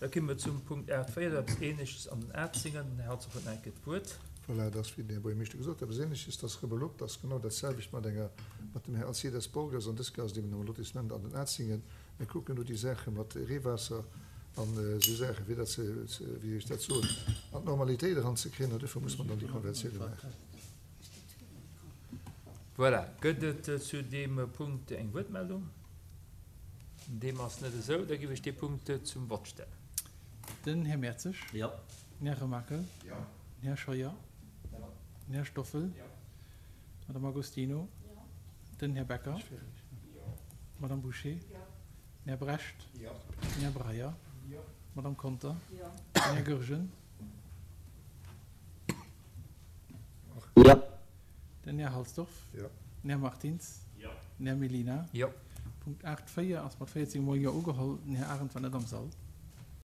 Da komme mer zum Punkt 8.4, dat ass eppes Ähnleches an den Arzingen. Den Här Herzog huet nach eng Kéier d'Wuert. Voilà, et ass, wéi den Här Buergermeeschter gesot huet, eppes Ähnleches, dat ass Rebelopp, dat ass genau dat selwecht mat enger, mat dem Här Alcides Borges an dës Kéier ass et eben am Lotissement an den Arzingen. Mir kucken do déi Saache mat Reewaasser an esou Saachen, fir dat ze, wéi soll ech dat soen, an d'Normalitéit eranzekréien an duerfir muss man dann déi Konventioune maachen. Voilà, gëtt et zu deem Punkt eng Wuertmeldung? Deem ass net esou. Da géif ech dee Punkt zum Vott stellen. Den Här Mertzig. Jo. Den Här Remakel. Jo. Den Här Scheuer. Jo. Den Här Stoffel. Jo. D'Madame Agostino. Jo. Den Här Becker. Jo. D'Madame Bouché. Jo. Den Här Brecht. Jo. Den Här Breyer. Jo. D'Madame Conter. Jo. Den Här Goergen. Jo. Den Här Halsdorf. Jo. Den Här Martins. Jo. Den Här Mellina. Jo. Punkt 8, 4 ass mat 14 mol Jo ugeholl. Den Här Arendt war net am Sall.